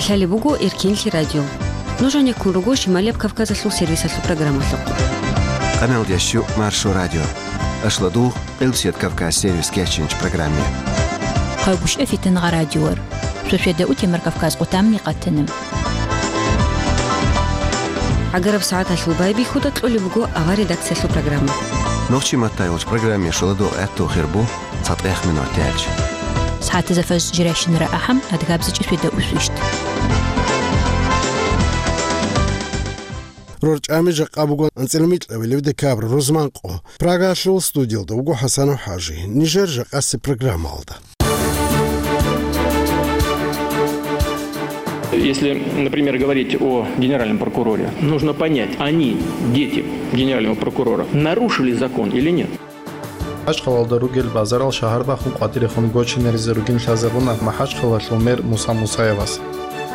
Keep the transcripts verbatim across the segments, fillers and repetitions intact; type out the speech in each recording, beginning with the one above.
Лъалеб буго Эркенлъи радио. Нуж гьанеккун руго Шималияб Кавказалъул сервисалъул программалъухъ. Къаналдящу Маршо радио. Ашладугъ, Къилбсият Кавказ сервис кечинч программе. Хъавгушев Фитангъа радиор. Шошеда утемар Кавказ къутамни къатанам. Агараб сагӀаталъул байбихьуда кьолеб буго авар редакциялъул программа. Нохчи матайулч программе шоладо гӀатту хирбу. ЦатӀех минуталъ. СагӀатазда фажр жирайщинара ахӀам, адгабзичӀи шведа усвищт. РорчӀами жакъа буго анцӀила микьабилеб декабрь рузманкъо. Прагалъул студиялда вуго ХӀасанов ХӀажи. Нижер жакъаси программалда. Если, например, говорить о генеральном прокуроре, нужно понять, они, дети генерального прокурора, нарушили закон или нет? МахӀачхъалалда ругел базарал шагьар бахун къватӀирехун гочинаризе ругин лъазабуна МахӀачхъалалъул мэр Муса Мусаевас.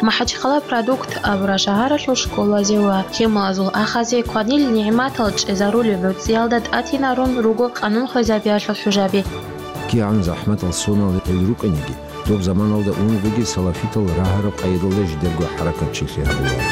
МахӀачхъала Продукт абураб шагьаралъул школазе ва хӀималазул ахазе кванил нигӀматал чӀезарулеб гӀуцӀиялда тӀатинарун руго къанун хвезабиялъул хӀужаби. КигӀан захӀматал соналел рукӀиниги, доб заманалда унебги салафитал рагьараб къайдалда жидерго хӀаракатчилъи гьабула.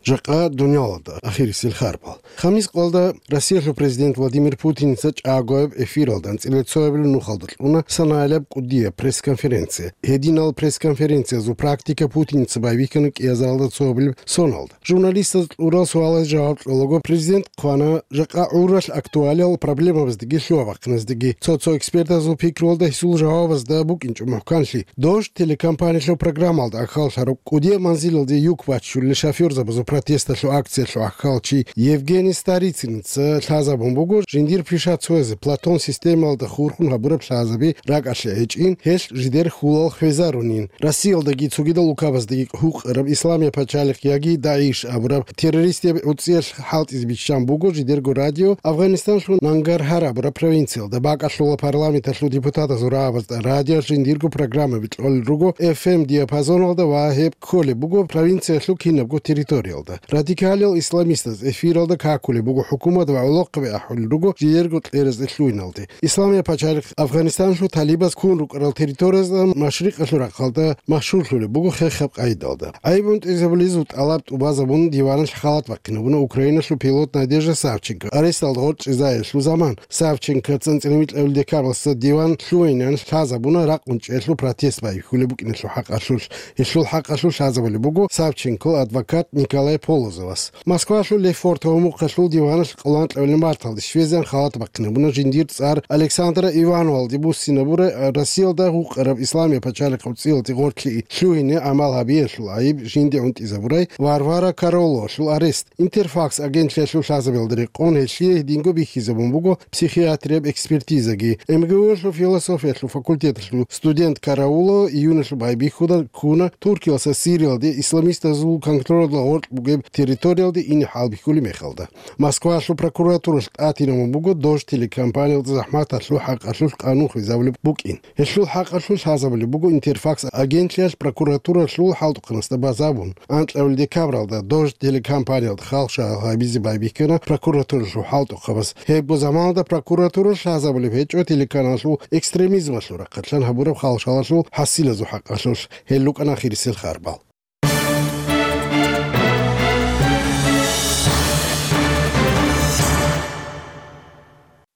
Жакъа дунялалда ахирисел харбал. Хамис къоялда Россиялъул президент Владимир Путиница чӀагояб эфиралда анцӀила цоябилеб нухалда кьуна санаялъаб кӀудияб пресс-конференция. Гьединал пресс-конференциязул практика Путиница байбихьана кӀиазаралда цоябилеб соналда. Журналистаз кьурал суалаз жаваб кьолаго президент хъвана, жакъа гӀуралъ актуалиял проблемабаздаги лъугьа-бахъиназдаги. Цо-цо экспертазул пикруялда гьесул жавабазда букӀинчӀо мухӀканлъи. Дождь телекомпаниялъул программалда ахьаллъараб кӀудияб манзилалде юк баччулел шофёрзабазул протесталъул акциялъул ахьалчи Евгений Старицыница лъазабун буго, жиндир пишацоязе Платон системалда хурхун гьабураб лъазаби ракӀалъе гӀечӀин, гьелъ жидер хьулал хвезарунин. Россиялдаги цогидал улкабаздаги гьукъараб Исламияб пачалихъ яги ДАИШ абураб террористияб гӀуцӀиялъ хӀалтӀизе биччан буго жидерго радио Афганистаналъул Нангархар абураб провинциялда. БакӀалъула парламенталъул депутатазул рагӀабазда радиоялъ жиндирго программаби кьолел руго эф эм диапазоналда ва гьеб кколеб буго провинциялъул кинабго территориялда. Радикалиял исламистаз эфиралда какулеб буго хӀукумат ва гӀолохъаби ахӀулел руго жидерго кьеразде лъугьиналде. Исламияб пачалихъ Афганистаналъул талибаз ккун рукӀарал территориязда машрикъалъул рахъалда машгьурлъулеб буго хехаб къайдалда. ГӀайиб унтӀизабулезул тӀалаб тӀубазабун диваналъ халат бахъинабуна Украиналъул пилот Надежда Савченко, аресталда гъоркьизаялъул заман. Савченкоца анцӀила микьабилеб декабралъ диван лъугьинеян лъазабуна ракъ унчӀиялъул протест байбихьулеб букӀиналъул хӀакъалъулъ. Гьелъул хӀакъалъулъ лъазабулеб буго Савченкол адвокат Николай Полозовас. Москвалъул Лефортово мухъалъул диваналъ къоло анкьабилеб марталде щвезегӀан халат бахъинабуна жиндир цӀар Александра Ивановалде буссинабурай Россиялда гьукъараб Исламияб пачалихъ гӀуцӀиялде гъоркье лъугьине гӀамал гьабиялъул гӀайиб жинде унтӀизабурай Варвара Карауловалъул арест. Интерфакс агентлъиялъул лъазабиялда рекъон гьелъие гьединго бихьизабун буго психиатрияб экспертизаги. МГУ-ялъул философиялъул факультеталъул студент Караулова июналъул байбихьуда ккуна Туркиялдаса Сириялде исламистазул контролалда гъоркь бугеб территориялде ине хӀалбихьулеб мехалда. Москвалъул прокуратуралъ тӀатинабун буго Дождь телекомпаниялда захӀматалъул хӀакъалъулъ къанун хвезабулеб букӀин. Гьелъул хӀакъалъулъ лъазабулеб буго Интерфакс агентлъиялъ прокуратуралъул хӀалтӀухъанасда базабун. Анкьабилеб декабралда Дождь телекомпаниялда халкъ шагьарал гьабизе байбихьана прокуратуралъул хӀалтӀухъабаз. Гьебго заманалда прокуратура лъазабулеб гьечӀо телеканалалъул экстремизмалъул рахъалъан гьабураб халкъ шагьаралъул хӀасилазул хӀакъалъулъ. Гьел рукӀана ахирисел харбал.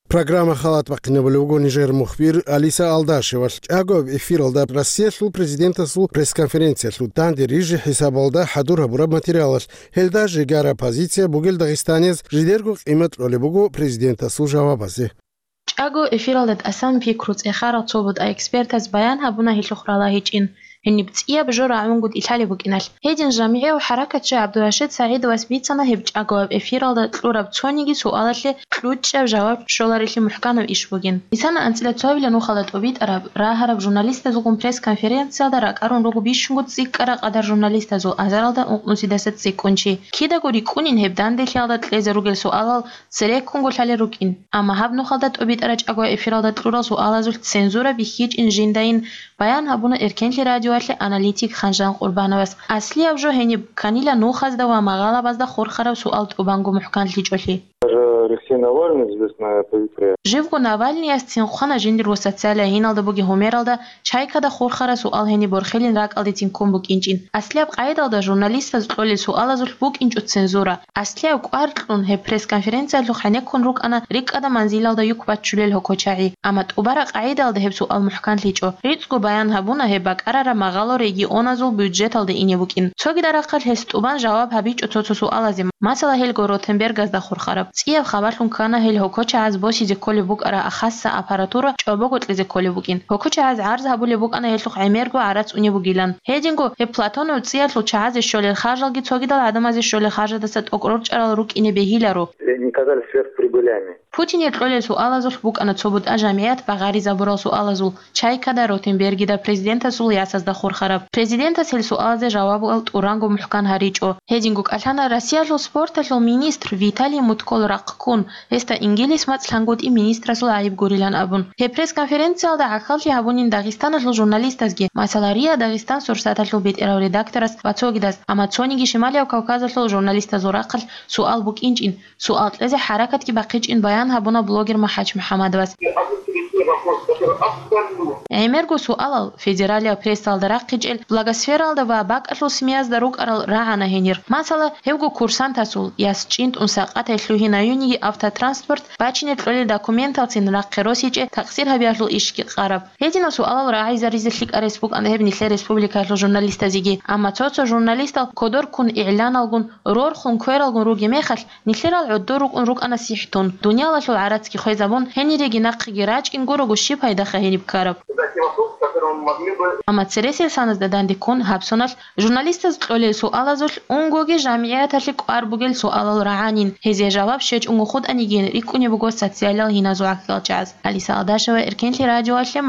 Программа халат бахъинабулев вуго нижер мухбир Алиса Алдашевалъ. ЧӀагояб эфиралда Россиялъул президентасул пресс-конференциялъул данде рижи хӀисабалда хӀадур гьабураб материалалъ, гьелда жегараб позиция бугел дагъистанияз жидерго къимат кьолеб буго президентасул жавабазе. ЧӀаго эфиралда тӀасан пикру цӀехарал цо бутӀа экспертаз баян гьабуна гьелъухъ ралагьичӀин, гьениб цӀияб жо рагӀунгутӀи лъалеб букӀиналъ. Гьедин жамигӀияв хӀаракатчи ГӀабдурашид СагӀидовас бицана гьеб чӀаголаб эфиралда кьураб цониги суалалъе кьучӀаб жаваб щоларелъи мухӀканаб иш бугин. Бицана анцӀила цоабилеб нухалда тӀубитӀараб, рагьараб журналистазулгун пресс-конференциялда ракӀарун руго бищунго цӀикӀкӀараб къадар журналистазул азаралда ункънусидаса цӀикӀкӀун чи. Кидаго рикӀкӀунин гьеб данделъиялда кьезе ругел суалал цереккунго лъалел рукӀин. Амма гьаб нухалда тӀубитӀараб чӀаго эфиралда кьурал суалазулъ цензура бихьичӀин жиндайин баян гьабуна Эркенлъи радиоялъе аналитик Ханжан Къурбановас. Аслияб жо гьениб кканила нухазда ва магъалабазда хурхараб суал тӀубанго мухӀканлъичӀолъи. Все Навальный здесь на повитре. Живго Навальныясцин хъвана жиндир ва социалиягьиналда бугеб гьумералда чайкада хурхараб суал гьениб борхилин ракӀалдецин ккун букӀинчӀин. Аслияб къагӀидалда журналистаз кьолел суалазулъ букӀинчӀо цензура. Аслияб кӀвар кьун гьеб пресс-конференциялъухъ гӀенеккун рукӀана рикӀкӀада манзилалда юк баччулел гьокочагӀи. Амма тӀубараб къагӀидалда гьеб суал мухӀканлъичӀо. РицӀго баян гьабуна гьеб бакӀарараб магъало регионазул бюджеталда ине букӀин. Цогидал рахъалъ гьес тӀубан жаваб гьабичӀо цо-цо суалазе, масала, гьелго Ротенбергазда хурхараб. ЦӀияб хабалъун ккана гьел гьокочагӀаз босизе кколеб букӀараб ахасса аппаратура чӀобого кьезе кколеб букӀин. ГьокочагӀаз гӀарз гьабулеб букӀана гьелъухъ гӀемерго гӀарац унеб бугилан. Гьединго гьеб Платонов цӀиялъул чагӀазе щолел харжалги цогидал гӀадамазе щолел харжадаса тӀокӀ рорчӀарал рукӀине бегьиларо. Они не казались сверхприбылями. Путинил кьолел суалазулъ букӀана цо бутӀа жамигӀят багъаризабурал суалазул, чайкада Ротенбергида президентасул ясазда хурхараб. Президентас гьел суалазе жавабал тӀуранго мухӀкан гьаричӀо. Гьединго кӀалъана Россиялъул спорталъул министр Виталий Мутко рахъ ккун, гьесда Ингилис мацӀ лъангутӀи министрасул гӀайиб гурилан абун. Гьеб пресс-конференциялда гӀахьаллъи гьабунин Дагъистаналъул журналистазги, масала, РИА Дагъистан сурсаталъул бетӀерав редакторас ва цогидас, амма цониги Шималияб Кавказалъул журналистазул рахъалъ суал букӀинчӀин, суал кьезе хӀаракатги бахъичӀин баян гьабуна блогер МахӀач МухӀаммадовас. ГӀемерго суалал федералияб прессалда рахъичӀел, блогосфералда ва бакӀалъул СМИ-язда рукӀарал рагӀана гьенир. Масала, гьевго курсантасул, яс чӀинтӀун сакъатай лъугьин гьаюниги автотранспорт бачине кьолел документалцин рахъе росичӀеб такъсир гьабиялъул ишги къараб. Гьединал суалал рагӀизаризе лъикӀаб рес букӀана гьеб нилъер республикаялъул журналистазеги, амма цо-цо журналистал кодор ккун игӀланалгун, рорхун квералгун ругеб мехалъ, нилъерал гӀодор рукӀун рукӀана сихӀтун, дуниялалъул гӀарацги хвезабун, гьениреги нахъеги рачӀин гурого щиб пайдаха гьениб ккараб? Амма цересел саназда данде ккун гьаб соналъ журналистаз кьолел суалазулъ унгоги жамигӀяталъе кӀвар бугел суалал рагӀанин, гьезие жаваб щвечӀого хутӀанигин рикӀкӀунеб буго социалиял гьиназул гӀахьалчагӀаз. Алиса Алдашева, Эркенлъи радиоялъе,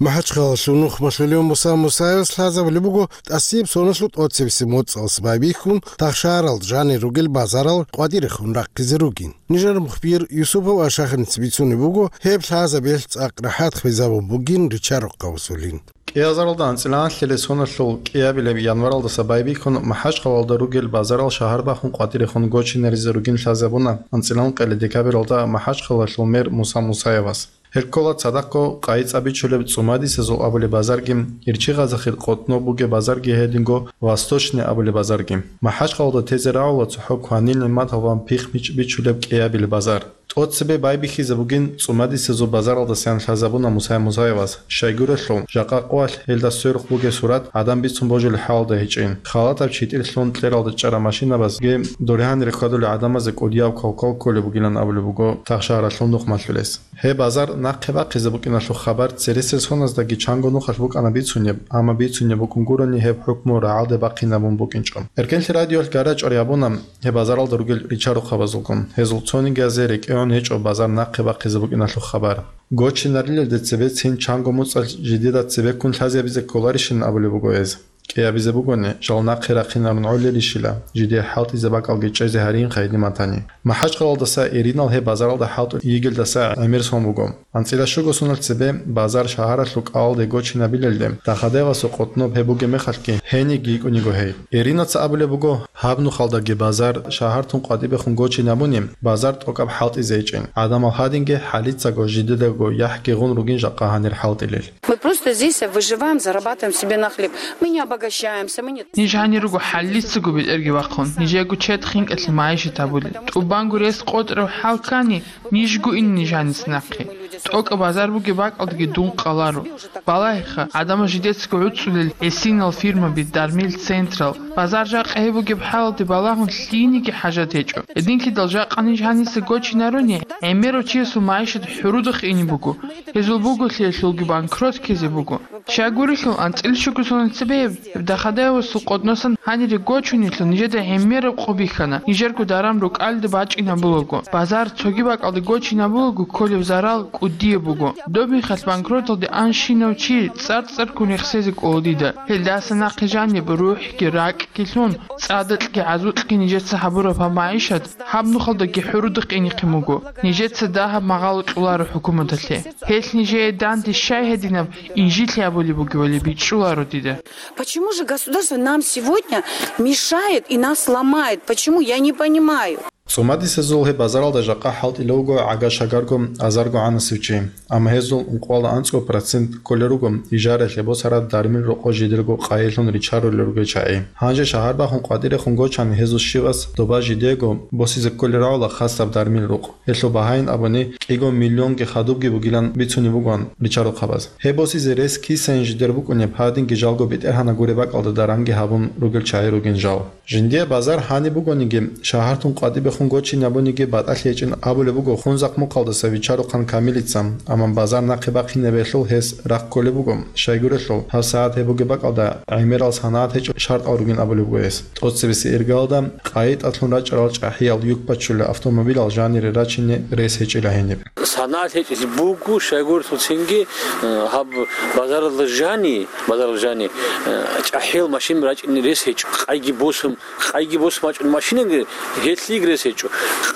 МахӀачхъалалъул нухмалъулев Муса Мусаевас лъазабулеб буго тӀасияб соналъул тӀоцебесеб моцӀалъ байбихьун, тахшарал жанир ругел базарал къватӀирехун рахъизе ругин. Нижер мухбир Юсупов Ашахиница бицунеб буго, гьеб лъазабиялъ цӀакъ рахӀат хвезабун бугин ричарухъ гьавсулин. КӀиазаралда анцӀила анлъилел соналъул кӀиабилеб январалдаса байбихьун, МахӀачхъалалда ругел базарал шагьар бахун къватӀирехун гочинаризе ругин лъазабуна анцӀила анкьилел декабралда МахӀачхъалалъул мэр Муса Мусаевас. Гьел ккола цадахъго къайи-цӀа бичулеб ЦӀумадисезул абулеб базарги, Ирчи-Гъазахъе къотӀноб бугеб базарги, гьединго Восточный абулеб базарги. МахӀачхъалалда тезе рагӀула цохӀо кванил нигӀматал ва пихъ-мичӀ бичулеб кӀиабилеб базар. ТӀоцебе байбихьизе бугин ЦӀумадисезул базаралдасаян лъазабуна Мусай Мусаевас. Щайгурелъул, жакъа къоялъ гьелда сверухъ бугеб сурат гӀадан бицун божулеб хӀалалда гьечӀин. Халатаб читӀир лъун кьералда чӀараб машинабазги дургьанир хьвадулел гӀадамазе кӀудияв кавкал кколеб бугилан абулеб буго тахшагьаралъул нухмалъулес. Гьеб базар нахъе бахъизе букӀиналъул хабар цересел соназдаги чанго нухалъ букӀана бицунеб, амма бицунеб букӀун гурони гьеб хӀукму рагӀалде бахъинабун букӀинчӀо. Эркенлъи радиоялъ гара-чӀвари гьабуна гьеб базаралда ругел ричарухъабазулгун, гьезул цонигиязе рекӀеон гьечӀо базар нахъе бахъизе букӀиналъул хабар. Гочинарилелде цебе цин чанго моцӀалъ жидеда цебеккун лъазабизе кколарищин абулеб буго гьез. КӀиабизе бугони, жал нахъе рахъинарун гӀолелищила, жидее хӀалтӀизе бакӀалги чӀезе гьаринха гьедин батани. МахӀачхъалалдаса Иринал гьеб базаралда хӀалтӀун йигелдаса гӀемер сон буго. АнцӀила щуго соналъ цебе базар шагьаралъул кӀалалде гочинабилелде, Дахадаевасул къотӀноб гьеб бугеб мехалъги, гьениб йикӀун йиго гьей. Иринаца абулеб буго, гьаб нухалдаги базар шагьар тун къватӀибехун гочинабуни, базар тӀокӀаб хӀалтӀизе гьечӀин, гӀадамал гьадинги хӀалицаго жидедаго яхӀги гъун ругин жакъа гьанир хӀалтӀилел. Мы просто здесь выживаем, зарабатываем себе на хлеб. Мы не обогащаемся, мы не... Ниж гьанир руго хӀаллицаго бетӀерги вахъун, нижего чед хинкӀалъе майишат гьабулел. ТӀубанго рес къотӀрав хӀал ккани, нижго ин ниж гьаниса нахъе. ТӀокӀаб базар бугеб бакӀалдаги дун къаларо. Балагьеха, гӀадамал жидецаго гӀуцӀулел гӀисинал фирмаби, дармил централ, базар жакъа гьеб бугеб хӀалалде балагьун лъиениги хӀажат гьечӀо. Гьединлъидал жакъа ниж гьаниса гочинаруни, гӀемерав чиясул майишат хӀурудахъ ине буго. Гьезул буголъиялъулги банкрот ккезе буго. Щайгурелъул анцӀила щуго соналъ цебе гьеб Дахадаевасул къотӀносан гьанире гочунелъул нижеда гӀемераб къо бихьана, нижерго даран рукӀалде бачӀинабулаго, базар цоги бакӀалде гочинабулаго кколеб зарал кӀудияб буго. Доб мехалъ банкроталде анщинав чи цӀар-цӀарккун рехсезе кӀола дида. Гьелдаса нахъе жаниб рухӀги ракӀги лъун, цӀадакьги гӀазукьги нижеца гьабураб гьаб майишат гьаб нухалдаги хӀурудахъ инехъин буго. Нижеца дагьаб магъало кьоларо хӀукуматалъе. Гьелъ нижее данде щай гьединаб инжит абулеб бугебали бичӀчӀуларо дида. Почему же государство нам сегодня мешает и нас ломает? Почему? Я не понимаю. ЦӀумадисезул гьеб базаралда жакъа хӀалтӀилев вуго гӀага-шагарго азарго гӀанасев чи, амма гьезул ункъоялда анцӀго процент кколел руго ижараялъе босараб дармил рокъо жидерго къайилъун ричарулел ругел чагӀи. Гьанже шагьар бахун къватӀирехун гочани гьезул щивас доба жидего босизе кколел рагӀула хасаб дармил рукъ. Гьелъул багьаин абуни, кӀиго миллионги хадубги бугилан бицунеб бугоан ричарухъабаз. Гьеб босизе рес кисайин жидер букӀунеб, гьадинги жалго БетӀергьанас гуреб бакӀалда даранги гьабун ругел чагӀи ругин жал. Жиндие базар гьаниб бугониги, шагьартун къватӀибехун гочине абуниги батӀалъи гьечӀин абулеб буго Хунзахъ мухъалдаса Вичарухъан Камилица, амма базар нахъе бахъинабиялъул гьес рахъ кколеб буго. Щайгурелъул, гьабсагӀат гьеб бугеб бакӀалда гӀемерал санагӀат гьечӀеб шартӀал ругин абулеб буго гьес. ТӀоцебесеб иргаялда къайитӀалъун рачӀарал чӀахӀиял юк бачулел автомобилал жанире рачине рес гьечӀила гьениб. СанагӀат гьечӀелъи буго, щайгурелъул цинги, э, гьаб базаралда жани, базаралда жани, э, чӀахӀиял машин рачӀине рес гьечӀо, къайги босун, къайги босун бачӀун машинаги гьелъиги рес гьечӀо,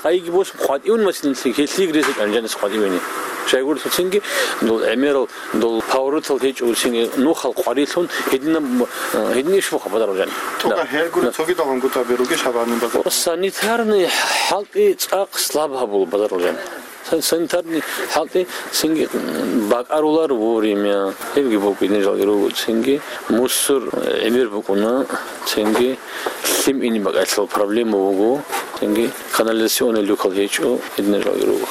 къайги босун къватӀивун машиналъи гьелъиги рес гьечӀо, жаниса къватӀивани. Щайгурелъул цинги, дол гӀемерал, дол поворотал гьечӀо, цинги нухал къварилъун гьединаб, э, гьедин иш буха базаралда жани. ТӀокӀаб гьелгури цогидал гьангутӀаби ругищ гьаб гьаниб базар? Санитарный хӀалтӀи цӀакъ слаб гьабула базаралда жани. Сан-, санитарный хӀалтӀи цинги, м, бакӀарулар вовремя. Гьебги букӀине жалги руго цинги. Мусор, э, гӀемер букӀуна цинги. Лъим ине бакӀалъул проблема буго. Цинги канализационный люкал гьечӀо, гьединал жалги руго.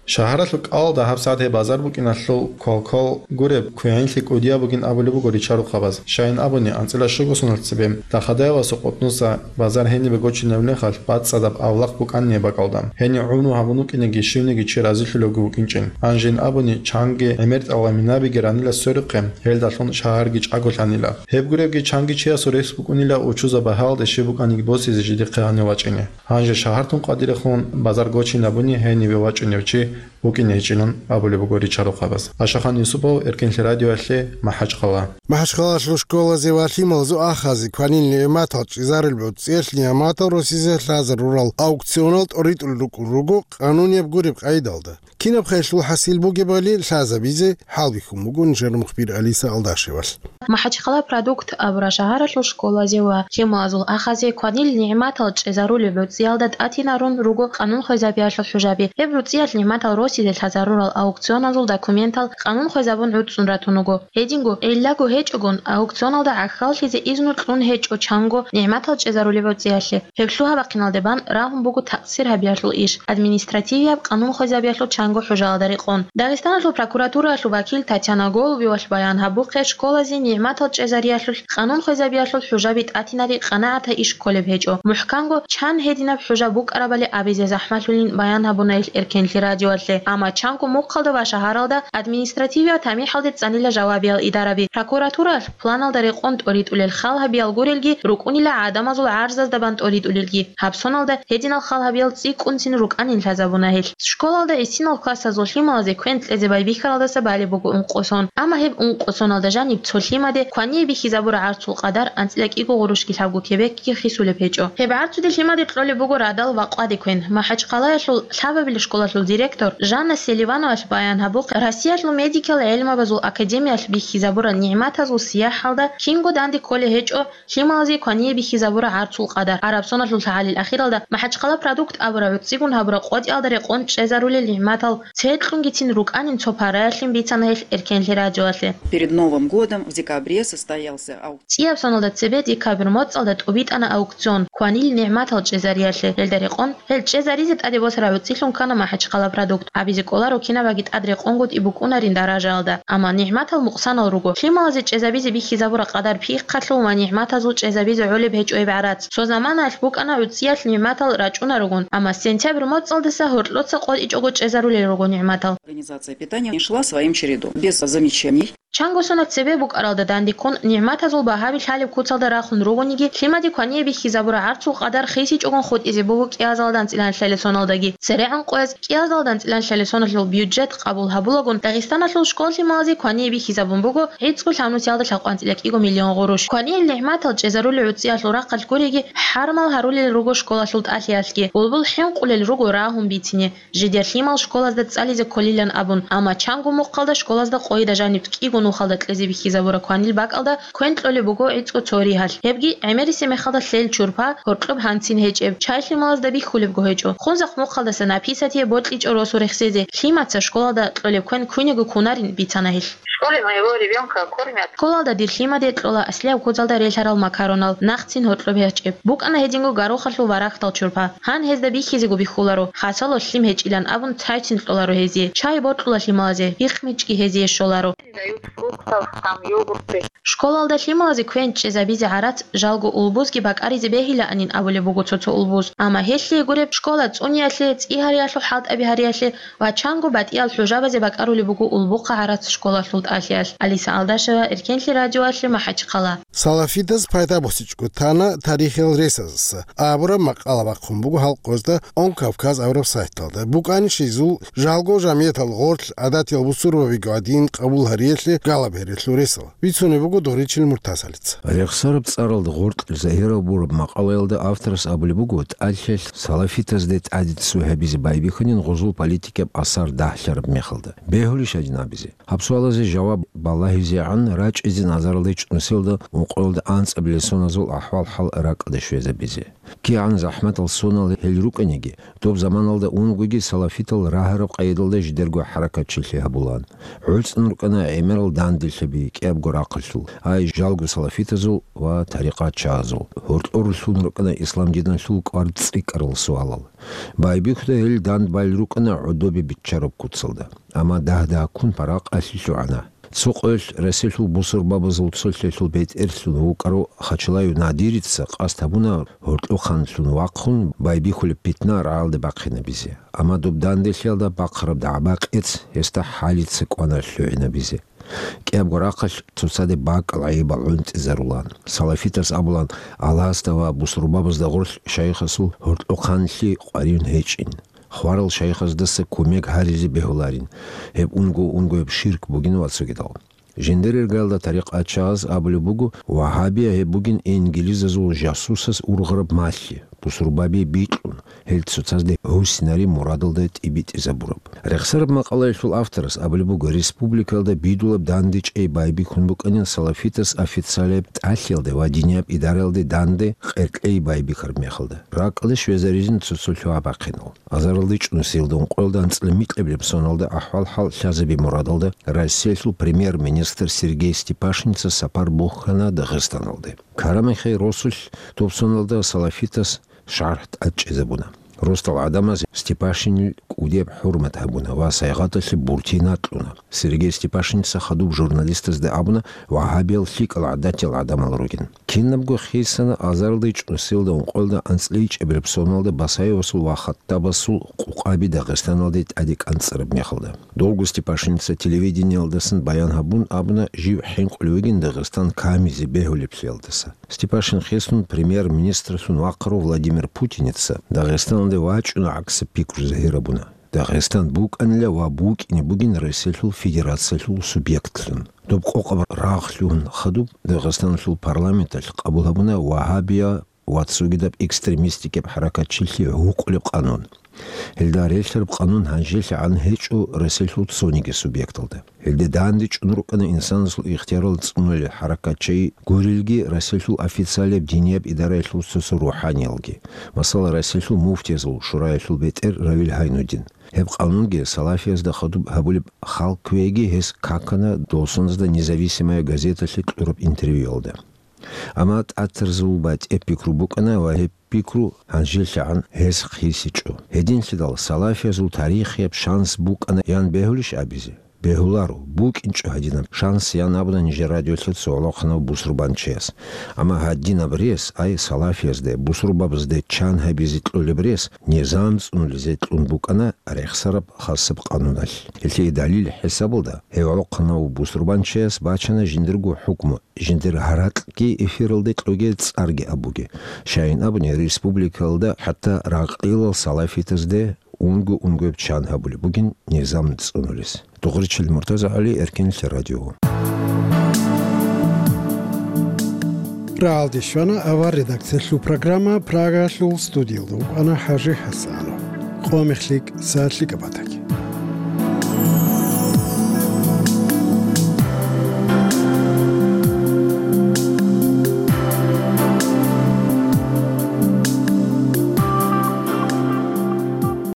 Шагьаралъул кӀалалда гьабсагӀат гьеб базар букӀиналъул квалквал гуреб, квегӀинлъи кӀудияб бугин абулеб буго ричарухъабаз. Щайин абуни, анцӀила щуго соналъ цебе Дахадаевасул къутӀнуса базар гьенибе гочинаб мехалъ бацӀцӀадаб авлахъ букӀанин бакӀалда. Гьенив гӀумру гьабун вукӀинеги щивниги чи разилъулевги вукӀинчӀин. Гьанжин абуни, чанги гӀемер тӀалгъаминабиги ранила сверухъе, гьелдалъун шагьарги чӀаголъанила. Гьеб гуребги чанги чиясул рес букӀунила учузаб багьаялде щиб букӀаниги босизе жидехъе гьанив вачӀине. Гьанже шагьартун къватӀирехун базар гочинабуни гьениве вачӀунев чи вукӀине гьечӀилан абулеб буго ричарухъабаз. Ашахан Юсупов, Эркенлъи радиоялъе, МахӀачхъала. МахӀачхъалалъул школазе ва лъималазул ахазе кванил нигӀматал чӀезарулеб гӀуцӀиялъ нигӀматал росизе лъазарурал аукционал тӀоритӀулел рукӀун руго къанунияб гуреб къайдалда. Кинаб хъелъул хӀасил бугебали лъазабизе хӀалбихьун буго нижер мухбир Алиса Алдашевалъ. МахӀачхъала Продукт абураб шагьаралъул школазе ва лъималазул ахазе кванил нигӀматал чӀезарулеб гӀуцӀиялда тӀатинарун руго къанун хвезабиялъул хӀужаби. Гьеб гӀуцӀиялъ нигӀматал росизе лъазарурал аукционазул документал къанун хвезабун гӀуцӀун ратун руго. Гьединго, гӀиллаго гьечӀогун, аукционалда гӀахьаллъизе изну кьун гьечӀо чанго нигӀматал чӀезарулеб гӀуцӀиялъе. Гьеб лъугьа-бахъиналде бан рагьун буго такъсир гьабиялъул иш, административияб къанун хвезабиялъул чанго хӀужаялда рекъон. Дагъистаналъул прокуратураялъул вакил Татьяна Голубевалъ баян гьабухъе, школазе нигӀматал чӀезариялъулъ къанун хвезабиялъул хӀужаби тӀатинари къанагӀатаб иш кколеб гьечӀо. МухӀканго чан гьединаб хӀужаб букӀарабали абизе захӀмалъулин баян гьабуна гьел Эркенлъи радиоялъе. Амма чанго мухъалда ва шагьаралда административиял тамихӀалде цӀанила жавабиял идараби. Прокуратураялъ планалда рекъон тӀоритӀулел хал гьабиял гурелги, рукӀунила гӀадамазул гӀарзазда бан тӀоритӀулелги. Гьаб соналда гьединал хал гьабиял цӀикӀкӀунцин рукӀанин лъазабуна гьелъ. Школалда гьесинал классазул лъималазе квен кьезе байбихьаралдаса балеб буго ункъо сон. Амма гьеб ункъо соналда жаниб цо лъимаде квание бихьизабураб гӀарцул къадар анцӀила кӀиго гъурущги лъабго кебекги хисулеб гьечӀо. Гьеб гӀарцуде лъимаде кьолеб буго радал ва къваде квен. МахӀачхъалаялъул лъабабилеб школалъул директор Жанна Селивановалъ баян гьабухъе, Россиялъул медикал гӀелмабазул академиялъ бихьизабурал нигӀматазул сияхӀалда кинго данде кколеб гьечӀо лъималазе квание бихьизабураб гӀарцул къадар. Араб соналъул лъагӀалил ахиралда МахӀачхъала Продукт абураб гӀуцӀигун гьабураб къотӀиялда рекъон чӀезарулел нигӀматал церкьунги цин рукӀанин цо параялъин бицана гьелъ Эркенлъи радиоялъе. Перед Новым годом в декабре состоялся аукцион. ЦӀияб соналда цебе декабрь моцӀалда тӀубитӀана аукцион, кванил нигӀматал чӀезариялъе. Гьелда рекъон, гьел чӀезаризе тӀаде босараб гӀуцӀилъун ккана МахӀачхъала Продукт. Абизе кӀоларо кинабаги тӀад рекъонго тӀибукӀунарин даражаялда. Амма нигӀматал мукъсанал руго. Лъималазе чӀезабизе бихьизабураб къадар пихъалъув ва нигӀматазул чӀезабизе гӀолеб гьечӀо гьеб гӀарац. Цо заманаялъ букӀана гӀуцӀиялъ нигӀматал рачӀунарогун, амма сентябрь моцӀалдаса гьоркьоца къотӀичӀого чӀезарулел руго нигӀматал. Организация питания шла своим чередом, без замечаний. Чанго соналъ цебе букӀаралда дандеккун, нигӀматазул багьаби лъалеб куцалда рахун ругониги, лъимаде квание бихьизабураб гӀарцул къадар хисичӀогун хутӀизе буго кӀиазалда анцӀила лъалел соналдаги. ЦерегӀан къояз кӀиазалда анцӀила лъалел соналъул бюджет къабул гьабулагун, Дагъистаналъул школ-лъималазе квание бихьизабун буго гӀицӀго лъабнусиялда лъабкъван анцӀила кӀиго миллион гъурущ. Кванил нигӀматал чӀезарулел гӀуцӀиялъул рахъалъ гуриги, хӀармал гьарулел руго школалъул тӀалъиялъги, булбул хӀинкъулел руго рагьун бицине. Жидер лъимал школазда цӀализе кколилан абун, амма чанго мухъалда школазда къойида жаниб кӀиго Мухалда кьезе бихьизабураб кванил бакӀалда квен кьолеб буго гӀицӀго цо ригьалъ. Гьебги гӀемерисеб мехалда лъел чурпа, гьоркьоб гьанцин гьечӀеб, чай лъималазда бихьулебго гьечӀо. Хунзахъ мухъалдасан АПИСатие бокьичӀо росу рехсезе, лъимаца школалда кьолеб квен куниго кунарин бицана гьелъ. В школе моего ребёнка кормят. Школалда дир лъимаде кьола аслияб кодалда релъарал макаронал, нахъцин гьоркьоб гьечӀеб. БукӀана гьединго горохалъул варагьдал чурпа. Гьан гьезда бихьизего бихьуларо, хасало лъим гьечӀилан абун цайцин кьоларо гьезие. Чай бокьула лъималазе, гьихъ-мичӀги гьезие щоларо. Дают фруктов, там, йогурты. Школалда лъималазе квен чӀезабизе гӀарац жалго улбузги бакӀаризе бегьилаанин абулеб буго цо-цо улбуз. Амма гьелъие гуреб, школа цӀуниялъе, цӀи гьариялъул хӀалтӀаби гьариялъе ва чанго батӀиял хӀужабазе бакӀарулеб буго улбухъа гӀарац школалъул тӀалъиялъ. Алиса Алдашева, Эркенлъи радиоялъе, МахӀачхъала. Салафидаз пайда босичӀого тана тарихиял ресазаса абураб макъала бахъун буго гьал къоялда Он Кавказ абураб сайталда. БукӀанищ гьезул жалго жамиятал гъорлъ гӀадатиял бусурбабиги гьадин къабул гьариялъе галаб гьерелъул ресал. Бицунеб буго Доричил Муртазалица. Рехсараб цӀаралда гъоркь загьирабураб макъалаялда авторас абулеб буго, тӀалъиялъ салафитазде тӀаде цо гьабизе байбихьанин гъозул политикияб асар дагьлъараб мехалда. Бегьулищ гьадин абизе? Гьаб суалазе жаваб балагьизегӀан рачӀизе назаралде чӀунусиялда ункъоялда анцӀабилеб соназул ахӀвал-хӀал ракӀалде щвезабизе. КигӀан захӀматал сонал гьел рукӀаниги, доб заманалда унгоги салафитал рагьараб къайдалда жидерго хӀаракатчилъи гьабулаан. ГӀуцӀун рукӀана гӀемерал данделъаби кӀиябго рахъалъул, ай жалго салафитазул ва тарикъатчагьазул. Гьоркьор лъун рукӀана ислам диналъул кӀвар цӀикӀкӀарал суалал. Байбихьуда гьел дандбал рукӀана гӀодобе биччараб куцалда. Амма дагь-дагьккун паракъалъи лъугӀана. Цо къоялъ Россиялъул бусурбабазул цолъиялъул бетӀерлъун вукӀарав Хачалаев Надирица къасд гьабуна гьоркьохъанлъун вахъун байбихьулеб питна рагӀалде бахъинабизе. Амма доб данделъиялда бахъараб дагӀба-къец гьесда хӀалица кӀвана лъугӀинабизе. КӀиябго рахъалъ цоцаде бакӀал гӀайибал гӀунтӀизарулаан. Салафитас абулаан, Аллагьасда ва бусурбабазда гъорлъ шайихасул гьоркьохъанлъи къваригӀун гьечӀин. Хварал шайихаздаса кумек гьаризе бегьуларин, гьеб унго-унгояб ширк бугин ва цогидал. Жиндир иргаялда тарикъатчагьаз абулеб буго, вагьабия гьеб бугин инглизазул жасусас ургъараб малъи, бусурбаби бикьун, гьел цоцазде гьусинари мурадалда тӀибитӀизабураб. Рехсараб макъалаялъул авторас абулеб буго, республикаялда бидулаб дандечӀей байбихьун букӀанин салафитас официалияб тӀалъиялде ва динияб идараялде данде къеркьей байбихьараб мехалда. РакӀалде щвезаризин цо-цо лъугьа-бахъинал. Азаралде чӀунусиялда ункъоялда анцӀила микьабилеб соналда ахӀвал-хӀал лъазаби мурадалда Россиялъул премьер-министр Сергей Степашинца сапар бухьана Дагъистаналде. Карамахье росулъ доб соналда салафитас шаргӀ тӀадчӀезабуна. Росдал гӀадамаз Степашинил кӀудияб хӀурмат гьабуна ва сайгъаталъе буртина кьуна. Сергей Степашинца хадуб журналистазда абуна, вагьабиял лъикӀал гӀадатиял гӀадамал ругин. Кинабго хисана азаралде чӀунусиялда ункъоялда анцӀила ичӀабилеб соналда Басаевасул ва Хаттабасул къукъаби Дагъистаналде тӀаде кӀанцӀараб мехалда. Долго Степашинца телевидениялдасан баян гьабун абуна жив хӀинкъулев вугин Дагъистан камизе бегьулеблъиялдаса. Степашин хисун премьер-министрлъун вахъарав Владимир Путиница Дагъистаналде вачӀуна гӀаксаб пикру загьирабуна. Дагъистан букӀанила ва букӀине бугин Россиялъул Федерациялъул субъектлъун. Доб къокъаб рагъ лъугьун хадуб Дагъистаналъул парламенталъ къабул гьабуна вагьабия ва цогидаб экстремистикаб хӀаракатчилъи гьукъулеб къанун. Гьелда релълъараб къанун гьанжелъагӀан гьечӀо Россиялъул цониги субъекталда. Гьелде данде чӀун рукӀана инсанасул ихтиярал цӀунулел хӀаракатчей гурелги Россиялъул официалияб динияб идараялъул цо-цо рухӀаниялги. Масала, Россиялъул муфтиязул шураялъул бетӀер Равил Гьайнудин. Гьеб къанунги салафиязда хадуб гьабулеб хал кквеги гьес какана дол соназда Независимая газеталъе кьураб интервьюялда. Амма тӀатарзул батӀеб пикру букӀана ва гьеб пикру гьанжелъагӀан гьес хисичӀо. Гьединлъидал салафиязул тарихияб шанс букӀана ян бегьулищ абизе? Бегьуларо, букӀинчӀо гьадинаб шанс, ян абуна нижер радиолъе цо гӀолохъанав бусурбанчияс. Амма гьадинаб рес, ай, салафиязде, бусурбабазде чан гьабизе кьолеб рес, низам цӀунулезе кьун букӀана рехсараб хасаб къануналъ. Гьелъие далил хӀисабалда, гьев гӀолохъанав бусурбанчияс бачана жиндирго хӀукму, жиндир гьаракьги эфиралде кьоге, цӀарги абуге. Щайин абуни, республикалда хӀатта ракъилал салафитазде унго-унгояб чан гьабулеб бугин низам цӀунулес. Дугъричил Муртазагьали, Эркенлъи радио. РагӀалде щвана авар редакциялъул программа, Прагалъул студиялда вукӀана ХӀажи ХӀасанов. Къо мех лъикӀ, сагӀат лъикӀаб батаги.